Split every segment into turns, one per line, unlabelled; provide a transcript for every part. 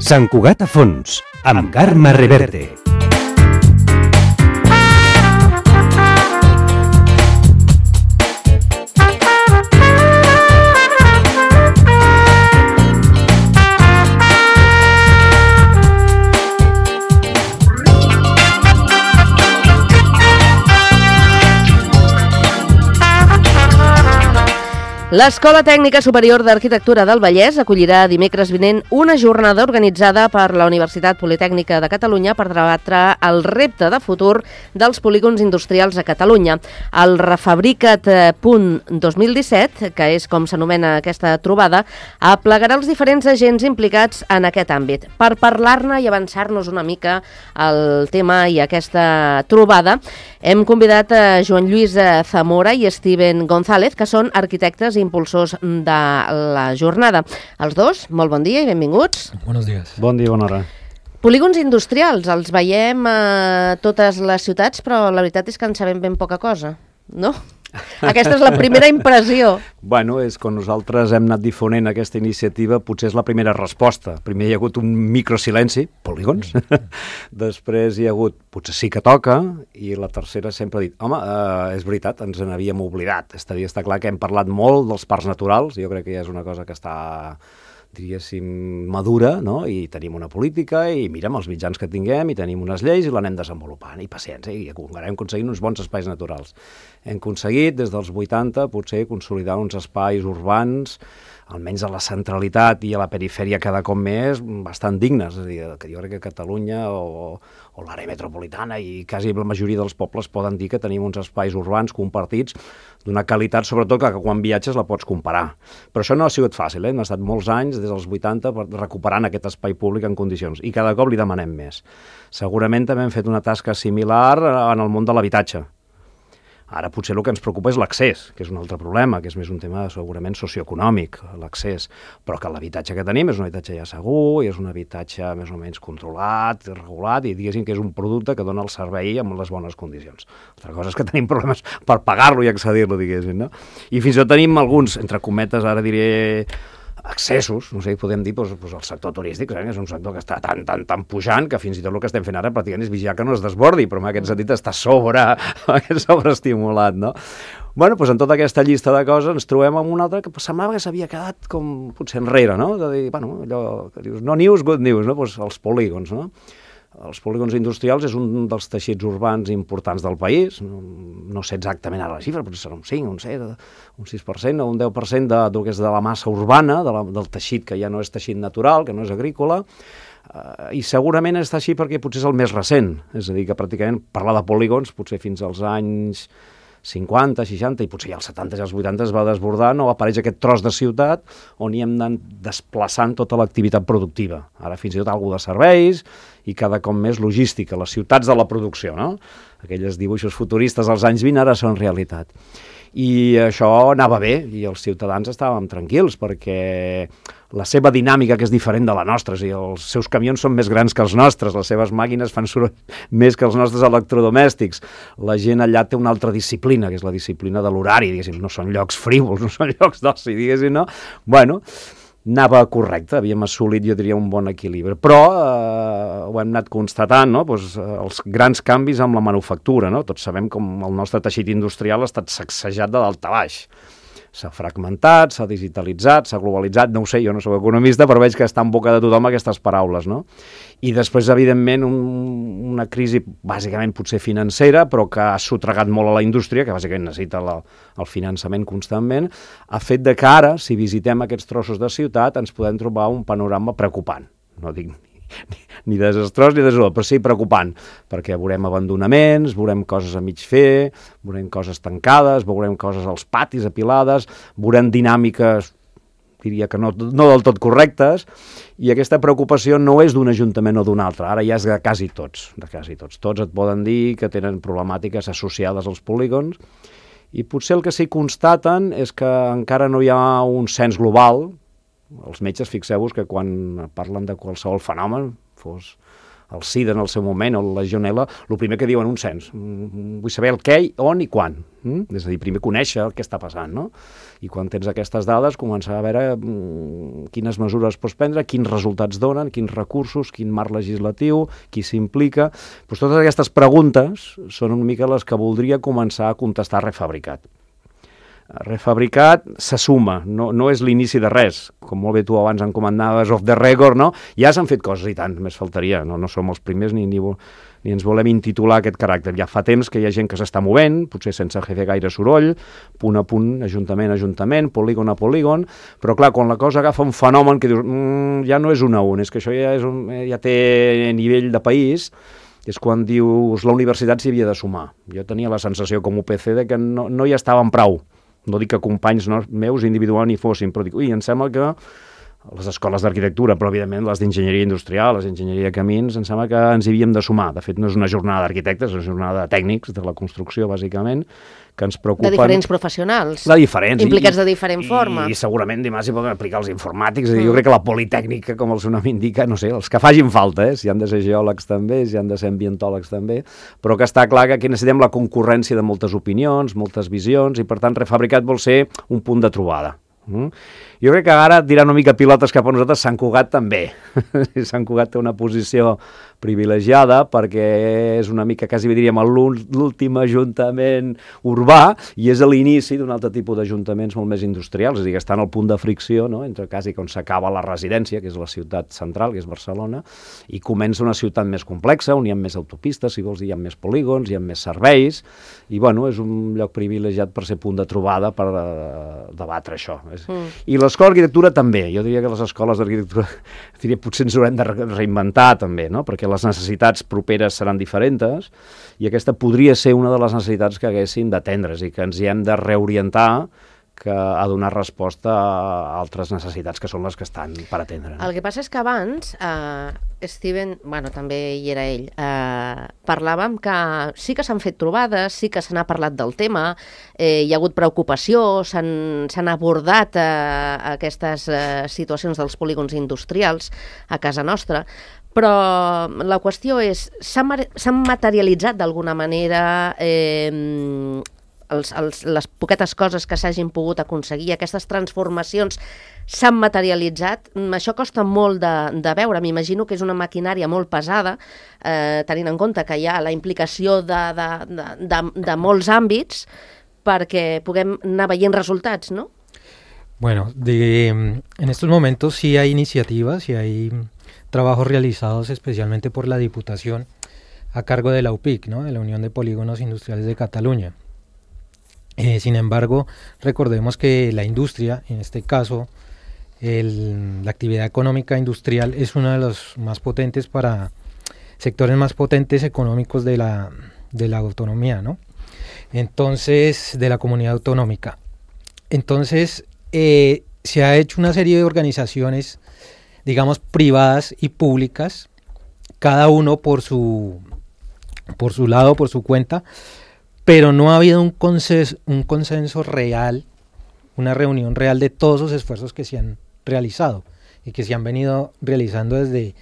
Sant Cugat a fons, amb Carme Reverte.
L'Escola Tècnica Superior d'Arquitectura del Vallès acollirà dimecres vinent una jornada organitzada per la Universitat Politècnica de Catalunya per debatre el repte de futur dels polígons industrials a Catalunya. El Refabrica't Punt 2017, que és com s'anomena aquesta trobada, aplegarà els diferents agents implicats en aquest àmbit. Per parlar-ne i avançar-nos una mica al tema i aquesta trobada, hem convidat a Joan Lluís Zamora i Steven González, que són arquitectes i impulsors de la jornada. Els dos, molt bon dia i benvinguts.
Buenos días.
Bon dia, bona hora.
Polígons industrials, els veiem a totes les ciutats, però la veritat és que en sabem ben poca cosa, no? Aquesta és la primera impressió.
Bueno, és quan nosaltres hem anat difonent aquesta iniciativa, potser és la primera resposta. Primer hi ha hagut un microsilenci, polígons. Després hi ha hagut, potser sí que toca, i la tercera sempre ha dit, home, és veritat, ens n'havíem oblidat. Està clar que hem parlat molt dels parcs naturals, jo crec que ja és una cosa que està, diríssim, madura, no? I tenim una política, i mirem els mitjans que tinguem, i tenim unes lleis, i l'anem desenvolupant, i paciència, i encara hem aconseguit uns bons espais naturals. Hem aconseguit, des dels 80, potser consolidar uns espais urbans, almenys a la centralitat i a la perifèria cada cop més, bastant dignes. És a dir, que jo crec que Catalunya o l'àrea metropolitana i quasi la majoria dels pobles poden dir que tenim uns espais urbans compartits d'una qualitat, sobretot que quan viatges la pots comparar. Però això no ha sigut fàcil, hem estat molts anys, des dels 80, recuperant aquest espai públic en condicions, i cada cop li demanem més. Segurament també hem fet una tasca similar en el món de l'habitatge. Ara potser el que ens preocupa és l'accés, que és un altre problema, que és més un tema segurament socioeconòmic, l'accés, però que l'habitatge que tenim és un habitatge ja segur, i és un habitatge més o menys controlat, regulat, i diguéssim que és un producte que dona el servei amb les bones condicions. Altra cosa és que tenim problemes per pagar-lo i accedir-lo, diguéssim, no? I fins i tot tenim alguns, entre cometes, ara diré, accessos, no sé, podem dir, doncs el sector turístic, és un sector que està tan pujant que fins i tot el que estem fent ara pràcticament és vigilar que no es desbordi, però en aquest sentit està sobreestimulat, no? Bueno, doncs en tota aquesta llista de coses ens trobem amb una altra que semblava que s'havia quedat com potser enrere, no? De dir, bueno, allò que dius, no news, good news, no? Doncs els polígons, no? Els polígons industrials és un dels teixits urbans importants del país, no sé exactament ara la xifra, però serà un 5, un 7, un 6% o un 10% del que és de la massa urbana, del teixit que ja no és teixit natural, que no és agrícola, i segurament està així perquè potser és el més recent, és a dir, que pràcticament parlar de polígons potser fins als anys 50, 60 i potser ja als 70 i als 80 es va desbordant o apareix aquest tros de ciutat on hi hem anat desplaçant tota l'activitat productiva. Ara fins i tot alguna de serveis i cada cop més logística, les ciutats de la producció, no? Aquelles dibuixos futuristes als anys 20 ara són realitat. I això anava bé i els ciutadans estàvem tranquils perquè la seva dinàmica, que és diferent de la nostra, i els seus camions són més grans que els nostres, les seves màquines fan soroll més que els nostres electrodomèstics. La gent allà té una altra disciplina, que és la disciplina de l'horari, diguéssim, no són llocs frívols, no són llocs d'oci, diguéssim, no? Bueno, anava correcte, havíem assolit, jo diria, un bon equilibri. Però ho hem anat constatant, no? Pues, els grans canvis amb la manufactura, no? Tots sabem com el nostre teixit industrial ha estat sacsejat de dalt a baix. S'ha fragmentat, s'ha digitalitzat, s'ha globalitzat, no ho sé, jo no soc economista, però veig que està en boca de tothom aquestes paraules, no? I després, evidentment, una crisi bàsicament potser financera, però que ha sotragat molt a la indústria, que bàsicament necessita el finançament constantment, ha fet de que ara, si visitem aquests trossos de ciutat, ens podem trobar un panorama preocupant. No dic ni desastrós ni desolós, però sí preocupant, perquè veurem abandonaments, veurem coses a mig fer, veurem coses tancades, veurem coses als patis apilades, veurem dinàmiques, diria que no del tot correctes, i aquesta preocupació no és d'un ajuntament o d'un altre, ara ja és de quasi tots, Tots et poden dir que tenen problemàtiques associades als polígons, i potser el que s'hi constaten és que encara no hi ha un cens global. Els metges, fixeu-vos que quan parlen de qualsevol fenomen, fos el SIDA en el seu moment, o la Legionella, el primer que diuen un cens. Vull saber el què, on i quan. És a dir, primer conèixer el que està passant, no? I quan tens aquestes dades, començar a veure quines mesures pots prendre, quins resultats donen, quins recursos, quin marc legislatiu, qui s'implica. Doncs totes aquestes preguntes són una mica les que voldria començar a contestar Refabricat. Refabricat se suma, no és l'inici de res, com molt bé tu abans em comanaves off the record, no? Ja s'han fet coses i tant, més faltaria, no som els primers ni ens volem intitular aquest caràcter. Ja fa temps que hi ha gent que s'està movent, potser sense fer gaire soroll, punt a punt, ajuntament a ajuntament, polígon a polígon, però clar, quan la cosa agafa un fenomen que dius, ja no és un a un, és que això ja té nivell de país, és quan dius la universitat s'hi havia de sumar. Jo tenia la sensació com UPC de que no hi estaven prou. No dic que companys meus individuals ni fossin, però dic, em sembla que les escoles d'arquitectura, però evidentment les d'enginyeria industrial, les d'enginyeria de camins, em sembla que ens hi havíem de sumar. De fet, no és una jornada d'arquitectes, és una jornada de tècnics de la construcció, bàsicament, que ens preocupen...
De diferents professionals.
De diferents.
Implicats de diferent forma.
I segurament dimarts hi poden aplicar els informàtics. Jo crec que la politècnica, com el seu nom indica, no sé, els que facin falta, si han de ser geòlegs també, si han de ser ambientòlegs també, però que està clar que aquí necessitem la concurrència de moltes opinions, moltes visions, i per tant Refabricat vol ser un punt de trobada. Jo crec que ara tirant una mica pilotes cap a nosaltres, Sant Cugat també. Sant Cugat té una posició privilegiada perquè és una mica, quasi diríem, l'últim ajuntament urbà i és l'inici d'un altre tipus d'ajuntaments molt més industrials, és a dir, que estan al punt de fricció, no? Entre quasi on s'acaba la residència, que és la ciutat central, que és Barcelona, i comença una ciutat més complexa, on hi ha més autopistes, si vols dir, hi ha més polígons, hi ha més serveis, i bueno, és un lloc privilegiat per ser punt de trobada per debatre això. I l'escola d'arquitectura també, jo diria que les escoles d'arquitectura potser ens haurem de reinventar també, no? Perquè les necessitats properes seran diferents i aquesta podria ser una de les necessitats que haguessin d'atendre's i que ens hi hem de reorientar a donar resposta a altres necessitats que són les que estan per atendre.
El que passa és que abans, Steven, bueno, també hi era ell, parlàvem que sí que s'han fet trobades, sí que se n'ha parlat del tema, hi ha hagut preocupació, s'han abordat aquestes situacions dels polígons industrials a casa nostra, però la qüestió és, s'han materialitzat d'alguna manera les poquetes coses que s'hagin pogut aconseguir, aquestes transformacions s'han materialitzat. Això costa molt de veure, m'imagino que és una maquinària molt pesada, tenint en compte que hi ha la implicació de molts àmbits perquè puguem anar veient resultats, ¿no?
Bueno, en estos momentos sí hay iniciativas y hay trabajos realizados especialmente por la Diputación a cargo de la UPIC, ¿no? De la Unión de Polígonos Industriales de Cataluña. Sin embargo, recordemos que la industria, en este caso, la actividad económica industrial es uno de los más potentes sectores más potentes económicos de la autonomía, ¿no? Entonces, de la comunidad autonómica. Entonces, se ha hecho una serie de organizaciones, digamos, privadas y públicas, cada uno por su lado, por su cuenta, pero no ha habido un consenso real, una reunión real de todos los esfuerzos que se han realizado y que se han venido realizando desde,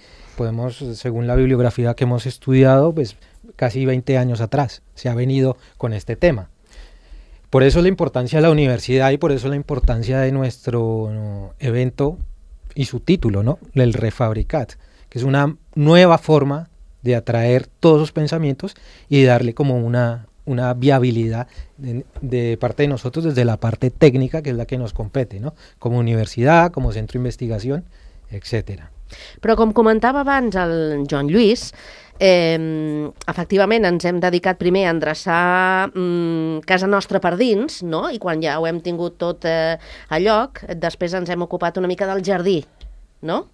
según la bibliografía que hemos estudiado, pues casi 20 años atrás, se ha venido con este tema. Por eso la importancia de la universidad y por eso la importancia de nuestro evento y su título, ¿no? El Refabricat, que es una nueva forma de atraer todos los pensamientos y darle como una viabilidad de parte de nosotros desde la parte técnica, que es la que nos compete, ¿no? Como universidad, como centro de investigación, etcètera.
Però com comentava abans el Joan Lluís, efectivament ens hem dedicat primer a endreçar casa nostra per dins, no? I quan ja ho hem tingut tot a lloc, després ens hem ocupat una mica del jardí, no?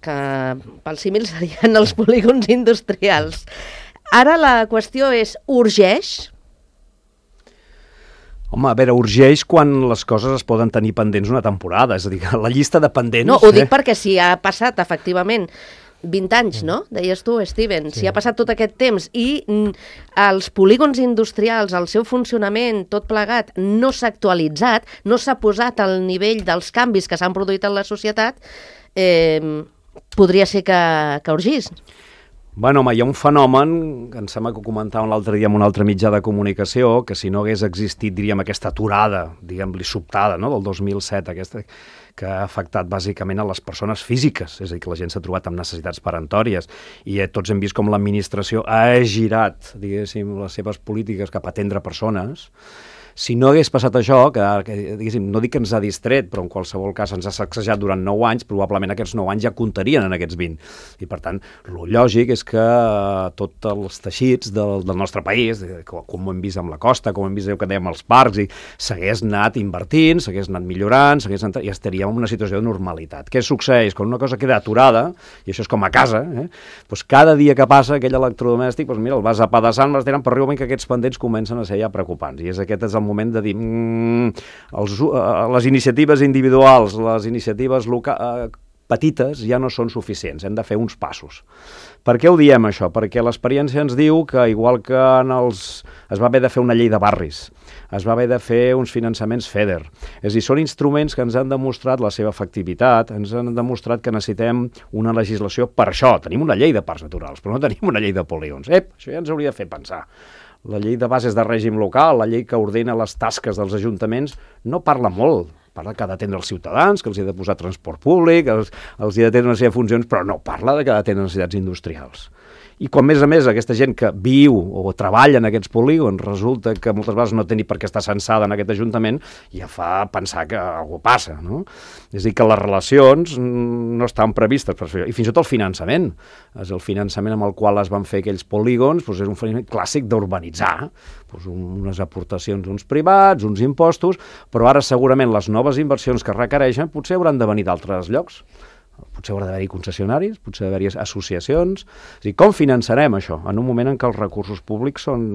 Que pel símil serien els polígons industrials. Ara la qüestió és, urgeix?
Home, a veure, urgeix quan les coses es poden tenir pendents una temporada, és a dir, la llista de pendents...
No, ho dic perquè si ha passat, efectivament, 20 anys, no? Deies tu, Steven, si ha passat tot aquest temps i els polígons industrials, el seu funcionament, tot plegat, no s'ha actualitzat, no s'ha posat al nivell dels canvis que s'han produït en la societat, podria ser que urgís.
Bueno, home, hi ha un fenomen que em sembla que ho comentàvem l'altre dia en un altre mitjà de comunicació, que si no hagués existit, diríem, aquesta aturada, diguem-li, sobtada, no?, del 2007, aquesta, que ha afectat bàsicament a les persones físiques, és a dir, que la gent s'ha trobat amb necessitats peremptòries, i tots hem vist com l'administració ha girat, diguéssim, les seves polítiques cap a atendre persones. Si no hagués passat això, que diguéssim, no dic que ens ha distret, però en qualsevol cas ens ha sacsejat durant 9 anys, probablement aquests 9 anys ja comptarien en aquests 20. I per tant, el lògic és que tots els teixits del nostre país, com ho hem vist amb la costa, com ho hem vist que dèiem als parcs, i s'hagués anat invertint, s'hagués anat millorant, i estaríem en una situació de normalitat. Què succeeix? Quan una cosa queda aturada, i això és com a casa, doncs cada dia que passa aquell electrodomèstic, doncs mira, el vas apedaçant, vas tirant, però arriba que aquests pendents comencen a ser ja preocupants. I aquest és el moment de dir les iniciatives individuals, les iniciatives petites ja no són suficients, hem de fer uns passos. Per què ho diem això? Perquè l'experiència ens diu que igual que es va haver de fer una llei de barris, es va haver de fer uns finançaments FEDER, és a dir, són instruments que ens han demostrat la seva efectivitat, ens han demostrat que necessitem una legislació per això. Tenim una llei de parcs naturals, però no tenim una llei de polígons. Això ja ens hauria de fer pensar. La llei de bases de règim local, la llei que ordena les tasques dels ajuntaments, no parla molt. Parla que ha d'atendre els ciutadans, que els ha de posar transport públic, els ha d'atendre una sèrie de funcions, però no parla de que ha d'atendre necessitats industrials. I quan, a més, aquesta gent que viu o treballa en aquests polígons resulta que moltes vegades no té ni per què estar censada en aquest ajuntament, ja fa pensar que alguna cosa passa, no? És a dir, que les relacions no estan previstes per fer això. I fins i tot el finançament. El finançament amb el qual es van fer aquells polígons és un finançament clàssic d'urbanitzar. Unes aportacions d'uns privats, uns impostos, però ara segurament les noves inversions que requereixen potser hauran de venir d'altres llocs. Potser haurà d'haver-hi concessionaris, potser d'haver-hi associacions. És a dir, com finançarem això en un moment en què els recursos públics són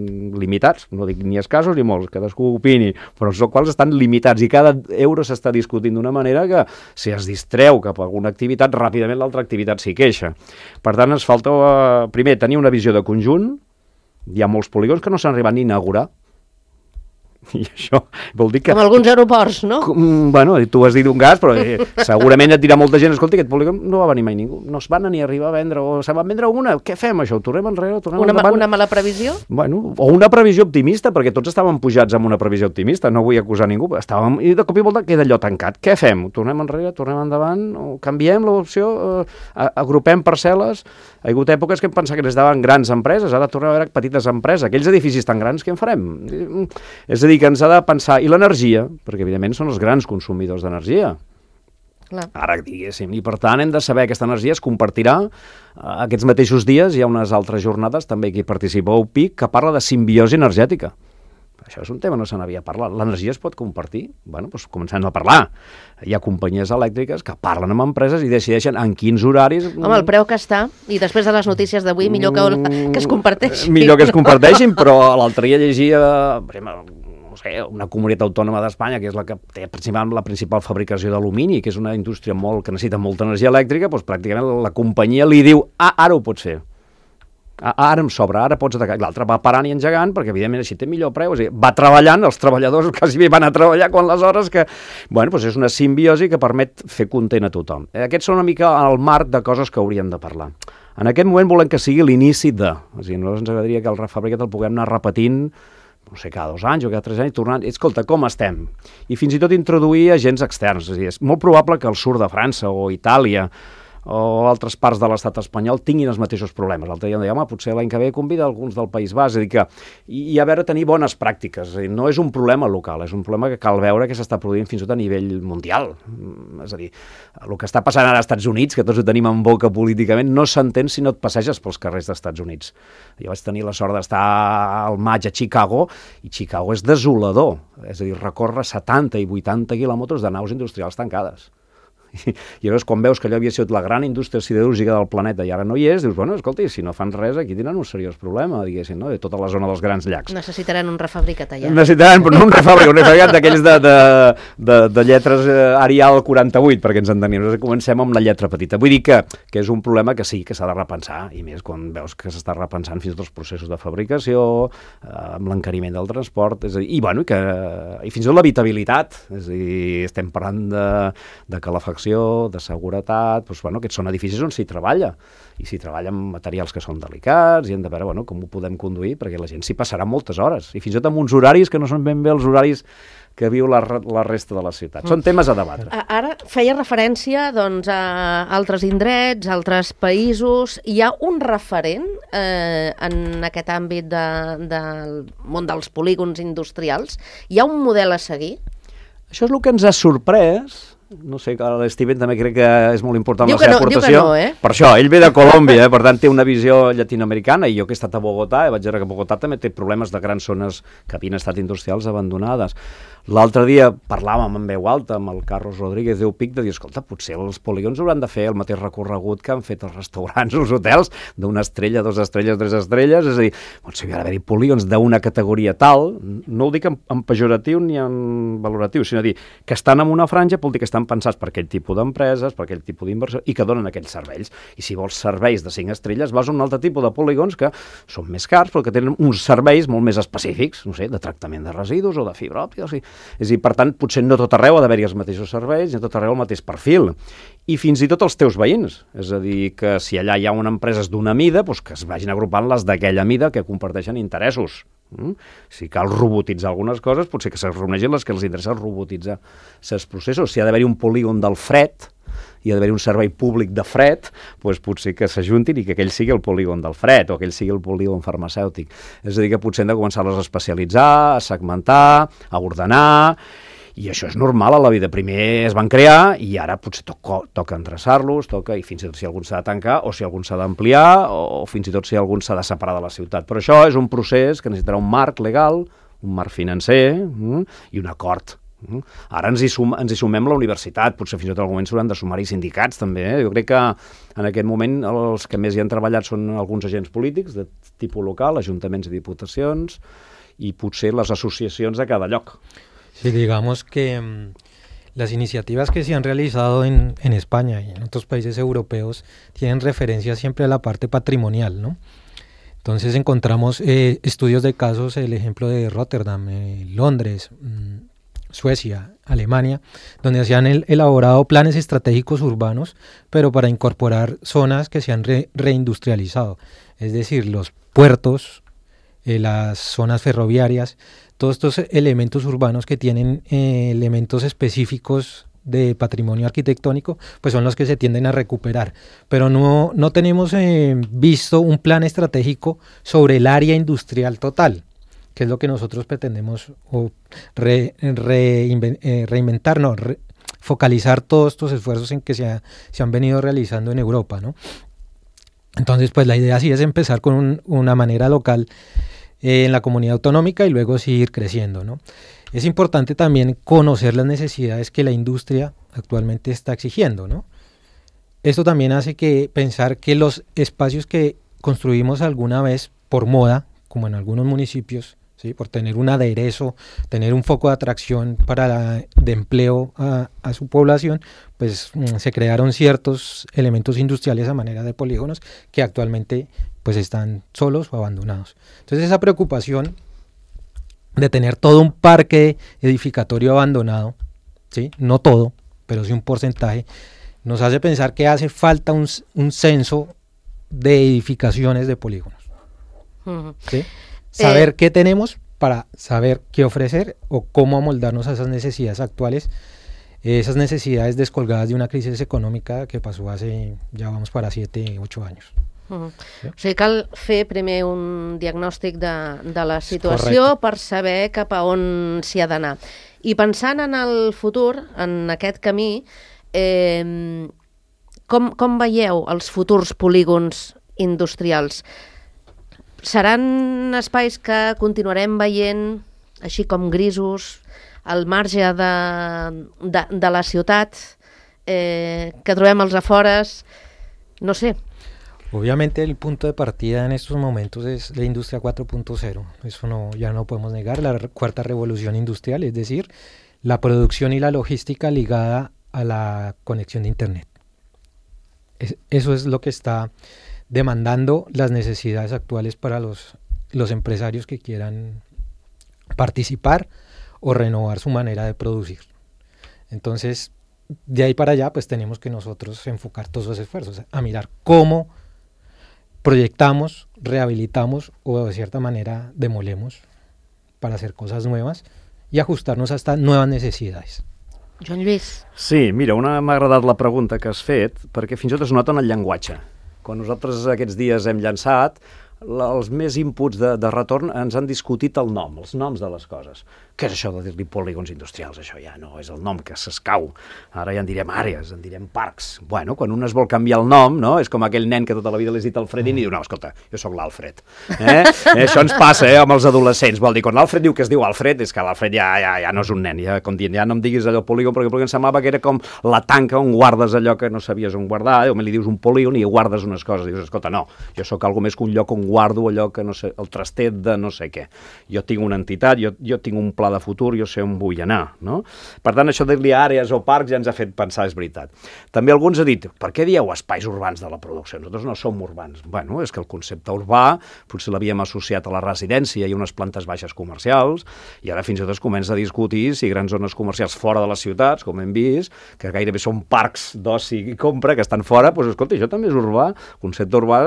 limitats? No dic ni escassos ni molts, cadascú opini, però els quals estan limitats i cada euro s'està discutint d'una manera que si es distreu cap a alguna activitat, ràpidament l'altra activitat s'hi queixa. Per tant, ens falta, primer, tenir una visió de conjunt. Hi ha molts polígons que no s'han arribat ni a inaugurar. I això vol dir que...
Com alguns aeroports, no?
Bueno, tu has dit un gas, però segurament et dirà molta gent, escolta, aquest polígon no va venir mai ningú, no es van ni arribar a vendre, o se van vendre una, què fem això? Ho tornem enrere, ho tornem endavant?
Una mala previsió?
Bueno, o una previsió optimista, perquè tots estàvem pujats amb una previsió optimista, no vull acusar ningú, i de cop i volta queda allò tancat. Què fem? Ho tornem enrere, tornem endavant, o canviem l'opció, agrupem parcel·les? Ha hagut èpoques que hem pensat que necessitaven grans empreses, ara tornem a veure petites empreses, aquells edificis tan grans, què en farem? És a dir, que ens ha de pensar, i l'energia, perquè evidentment són els grans consumidors d'energia.
Clar.
Ara, diguéssim, i per tant hem de saber que aquesta energia es compartirà. Aquests mateixos dies hi ha unes altres jornades, també aquí participa UPIC, que parla de simbiosi energètica. Això és un tema, no se n'havia parlat. L'energia es pot compartir? Bueno, doncs comencem a parlar. Hi ha companyies elèctriques que parlen amb empreses i decideixen en quins horaris...
Home, el preu que està, i després de les notícies d'avui, millor que es comparteixin.
Millor que es comparteixin, però l'altre dia llegia... no sé, una comunitat autònoma d'Espanya, que és la que té la principal fabricació d'alumini, que és una indústria que necessita molta energia elèctrica, doncs pràcticament la companyia li diu, ara ho pots fer. Ara em sobra, ara pots atacar. L'altre va parant i engegant, perquè evidentment així té millor preu. És a dir, va treballant, els treballadors quasi bé van a treballar quan les hores que... Bueno, doncs és una simbiosi que permet fer content a tothom. Aquests són una mica el marc de coses que hauríem de parlar. En aquest moment volem que sigui l'inici de... És a dir, nosaltres ens agradaria que el refabricat el puguem anar repetint, no sé, cada 2 anys o cada 3 anys, tornant, escolta, com estem? I fins i tot introduir agents externs. És a dir, és molt probable que el sud de França o Itàlia o altres parts de l'estat espanyol tinguin els mateixos problemes. L'altre dia em deia, home, potser l'any que ve convida alguns del País Basc. És a dir, que hi ha a veure tenir bones pràctiques. És a dir, no és un problema local, és un problema que cal veure que s'està produint fins i tot a nivell mundial. És a dir, el que està passant ara als Estats Units, que tots ho tenim en boca políticament, no s'entén si no et passeges pels carrers dels Estats Units. Jo vaig tenir la sort d'estar al maig a Chicago, i Chicago és desolador. És a dir, recorre 70 i 80 quilòmetres de naus industrials tancades. I llavors quan veus que allò havia sigut la gran indústria siderúrgica del planeta i ara no hi és, dius, bueno, escolta, si no fan res aquí tindran un seriós problema, diguéssim, no? De tota la zona dels grans llacs.
Necessitaran un refabricat allà.
Necessitaran, però no un refabricat d'aquells de lletres Arial 48, perquè ens entenem. Nosaltres comencem amb la lletra petita. Vull dir que és un problema que sí, que s'ha de repensar, i més quan veus que s'està repensant fins i tot els processos de fabricació, amb l'encariment del transport, és a dir, i fins i tot l'habitabilitat, és a dir, estem parlant de calefacció protecció, de seguretat, doncs, bueno, aquests són edificis on s'hi treballa, i s'hi treballa amb materials que són delicats, i hem de veure, bueno, com ho podem conduir, perquè la gent s'hi passarà moltes hores, i fins i tot amb uns horaris que no són ben bé els horaris que viu la resta de la ciutat. Són temes a debatre.
Ara feia referència doncs, a altres indrets, a altres països. Hi ha un referent en aquest àmbit del món dels polígons industrials? Hi ha un model a seguir?
Això és el que ens ha sorprès. No sé, l'Steven també crec que és molt important
diu
la seva aportació.
Diu que no, eh?
Per això, ell ve de Colòmbia, per tant té una visió llatinoamericana, i jo que he estat a Bogotà, vaig veure que Bogotà també té problemes de grans zones que havien estat industrials abandonades. L'altre dia parlàvem en veu alta amb el Carlos Rodríguez d'Eupic de dir, escolta, potser els polígons hauran de fer el mateix recorregut que han fet els restaurants o els hotels, d'una estrella, 2 estrelles, 3 estrelles, és a dir, potser hi ha d'haver-hi polígons d'una categoria tal, no ho dic en pejoratiu ni en valoratiu, sinó dir que estan en una franja, vol dir que estan pensats per aquell tipus d'empreses, per aquell tipus d'inversió, i que donen aquells serveis. I si vols serveis de 5 estrelles, vas a un altre tipus de polígons que són més cars, però que tenen uns serveis molt més específics, no sé, de tractament de residus o de fibra òptica, o sigui, és a dir, per tant, potser no tot arreu ha d'haver-hi els mateixos serveis, ni a tot arreu el mateix perfil. I fins i tot els teus veïns. És a dir, que si allà hi ha una empresa d'una mida, doncs que es vagin agrupant les d'aquella mida que comparteixen interessos. Si cal robotitzar algunes coses, potser que se reuneixin les que els interessa robotitzar els processos. Si ha d'haver-hi un polígon del fred, hi ha d'haver un servei públic de fred, doncs potser que s'ajuntin i que aquell sigui el polígon del fred o aquell sigui el polígon farmacèutic. És a dir, que potser hem de començar-les a especialitzar, a segmentar, a ordenar, i això és normal a la vida. Primer es van crear i ara potser toca endreçar-los, i fins i tot si algun s'ha de tancar o si algun s'ha d'ampliar o fins i tot si algun s'ha de separar de la ciutat. Però això és un procés que necessitarà un marc legal, un marc financer i un acord. Ara ens hi sumem la universitat, potser fins i tot en algun moment s'hauran de sumar-hi sindicats també. Jo crec que en aquest moment els que més hi han treballat són alguns agents polítics de tipus local, ajuntaments i diputacions, i potser les associacions de cada lloc.
Sí, digamos que las iniciativas que se han realizado en España y en otros países europeos tienen referencia siempre a la parte patrimonial, ¿no? Entonces encontramos estudios de casos, el ejemplo de Rotterdam, Londres, Suecia, Alemania, donde se han elaborado planes estratégicos urbanos, pero para incorporar zonas que se han reindustrializado, es decir, los puertos, las zonas ferroviarias, todos estos elementos urbanos que tienen elementos específicos de patrimonio arquitectónico, pues son los que se tienden a recuperar. Pero no tenemos visto un plan estratégico sobre el área industrial total, que es lo que nosotros pretendemos focalizar todos estos esfuerzos en que se han venido realizando en Europa, ¿no? Entonces, pues la idea sí es empezar con una manera local en la comunidad autonómica y luego seguir creciendo, ¿no? Es importante también conocer las necesidades que la industria actualmente está exigiendo, ¿no? Esto también hace pensar que los espacios que construimos alguna vez por moda, como en algunos municipios, ¿sí?, por tener un aderezo, tener un foco de atracción de empleo a su población, pues se crearon ciertos elementos industriales a manera de polígonos que actualmente pues están solos o abandonados. Entonces esa preocupación de tener todo un parque edificatorio abandonado, ¿sí?, no todo, pero sí un porcentaje, nos hace pensar que hace falta un censo de edificaciones de polígonos. ¿Sí? Saber qué tenemos para saber qué ofrecer o cómo amoldarnos a esas necesidades actuales, esas necesidades descolgadas de una crisis econòmica que passó ja vamos para 7-8 anys.
Sí? O sigui, cal fer primer un diagnòstic de la situació per saber cap a on s'hi ha d'anar. I pensant en el futur, en aquest camí, com veieu els futurs polígons industrials? Seran espais que continuarem veient així com grisos, al marge de la ciutat, que trobem als afores, no sé.
Obviamente el punto de partida en estos momentos es la industria 4.0, eso ya no podemos negar, la cuarta revolución industrial, es decir, la producción y la logística ligada a la conexión de Internet. Eso es lo que está demandando las necesidades actuales para los empresarios que quieran participar o renovar su manera de producir. Entonces, de ahí para allá, pues tenemos que nosotros enfocar todos esos esfuerzos a mirar cómo proyectamos, rehabilitamos o de cierta manera demolemos para hacer cosas nuevas y ajustarnos a estas nuevas necesidades.
Joan Lluís.
Sí, mira, m'ha agradat la pregunta que has fet, perquè fins i tot es nota en el llenguatge. Quan nosaltres aquests dies hem llançat, els més inputs de retorn ens han discutit el nom, els noms de les coses. Què és això de dir-li polígons industrials? Això ja no és el nom que s'escau. Ara ja en direm àrees, en direm parcs. Bueno, quan un es vol canviar el nom, no? És com aquell nen que tota la vida li has dit Alfredín i diu, no, escolta, jo sóc l'Alfred. Això ens passa amb els adolescents. Vol dir, quan l'Alfred diu que es diu Alfred, és que l'Alfred ja no és un nen. Ja, com dient, ja no em diguis allò polígon, perquè em semblava que era com la tanca on guardes allò que no sabies on guardar, o li dius un polígon i guardes unes coses. Dius, escolta, no, jo sóc algo més que un lloc on guardo allò que no sé, el trastet de no sé què. Jo tinc una entitat, jo tinc un pla de futur, jo sé on vull anar, no? Per tant, això de dir-li àrees o parcs ja ens ha fet pensar, és veritat. També alguns han dit, per què dieu espais urbans de la producció? Nosaltres no som urbans. Bueno, és que el concepte urbà potser l'havíem associat a la residència i unes plantes baixes comercials, i ara fins i tot es comença a discutir si grans zones comercials fora de les ciutats, com hem vist, que gairebé són parcs d'oci i compra, que estan fora, doncs escolta, això també és urbà. El concepte urbà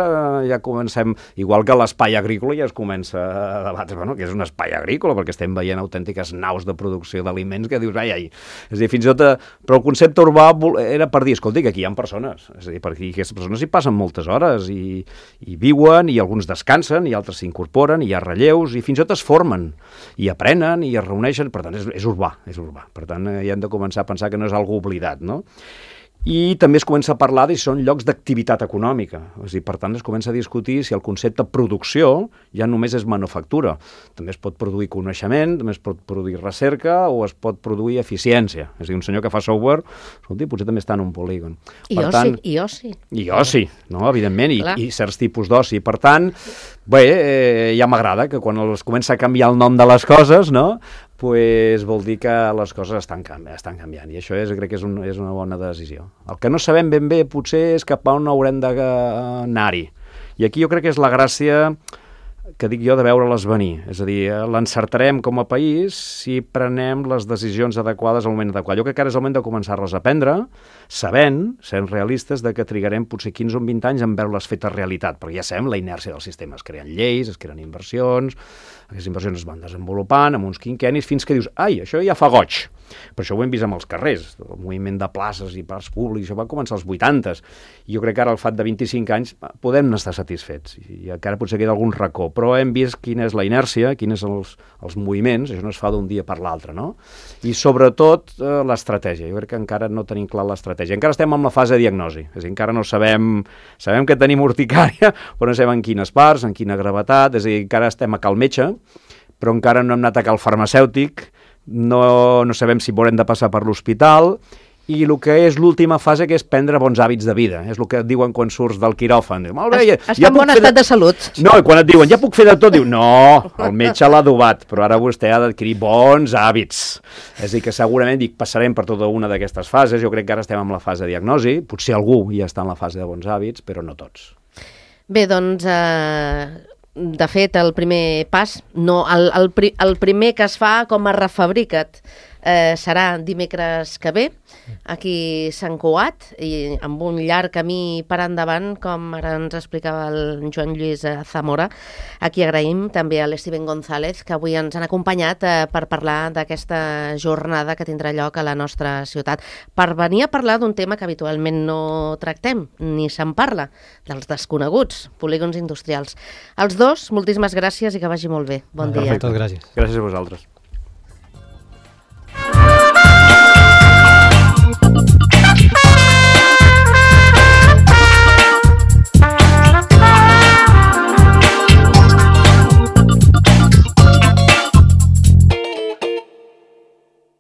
ja comencem, igual que l'espai agrícola ja es comença a debatre, bueno, que és un espai agrícola, perquè estem veient autèntiques naus de producció d'aliments que dius, ai. És a dir, fins i tot, però el concepte urbà era per dir, escolta, que aquí hi ha persones, és a dir, perquè aquestes persones hi passen moltes hores i viuen, i alguns descansen, i altres s'incorporen, i hi ha relleus, i fins i tot es formen, i aprenen, i es reuneixen, per tant, és urbà, és urbà. Per tant, ja hem de començar a pensar que no és algo oblidat, no? I també es comença a parlar de si són llocs d'activitat econòmica. És a dir, per tant, es comença a discutir si el concepte producció ja només és manufactura. També es pot produir coneixement, també es pot produir recerca o es pot produir eficiència. És a dir, un senyor que fa software, escolti, potser també està en un polígon.
I oci.
I oci, no? Evidentment, i certs tipus d'oci. Per tant, bé, ja m'agrada que quan es comença a canviar el nom de les coses, no?, pues vol dir que les coses estan canviant, i això crec que és una bona decisió. El que no sabem ben bé potser és cap a on haurem d'anar-hi, i aquí jo crec que és la gràcia que dic jo de veure-les venir, és a dir, l'encertarem com a país si prenem les decisions adequades al moment adequat. Jo crec que ara és el moment de començar-les a prendre, sent realistes de que trigarem potser 15 o 20 anys en veure-les fetes realitat, perquè ja sabem la inèrcia del sistema, es creen lleis, es creen inversions, aquestes inversions es van desenvolupant amb uns quinquennis fins que dius, ai, això ja fa goig. Per això ho hem vist amb els carrers, el moviment de places i parcs públics, això va començar als 80s, i jo crec que ara al fat de 25 anys podem estar satisfets, i encara potser queda algun racó, però hem vist quina és la inèrcia, quins són els moviments, això no es fa d'un dia per l'altre, no? I sobretot l'estratègia, jo crec que encara no tenim clar l'estratègia, encara estem en la fase de diagnosi, és a dir, encara no sabem que tenim urticària, però no sabem en quines parts, en quina gravetat, és a dir, encara estem a cal metge, però encara no hem anat a cal farmacèutic, no sabem si haurem de passar per l'hospital, i el que és l'última fase, que és prendre bons hàbits de vida, és el que et diuen quan surts del quiròfan. Molt bé,
està en bon estat de salut.
No, i quan et diuen, ja puc fer de tot, diu, no, el metge l'ha adobat, però ara vostè ha d'adquirir bons hàbits. És a dir, que segurament passarem per tota una d'aquestes fases, jo crec que ara estem en la fase de diagnosi, potser algú ja està en la fase de bons hàbits, però no tots.
Bé, doncs, de fet, el primer pas, no, el primer que es fa com a refabrica't, serà dimecres que ve, aquí a Sant Cugat, i amb un llarg camí per endavant, com ara ens explicava el Joan Lluís Zamora. Aquí agraïm també a l'Steven González, que avui ens han acompanyat per parlar d'aquesta jornada que tindrà lloc a la nostra ciutat, per venir a parlar d'un tema que habitualment no tractem, ni se'n parla, dels desconeguts, polígons industrials. Els dos, moltíssimes gràcies i que vagi molt bé. Bon dia.
Perfecte, gràcies.
Gràcies a vosaltres.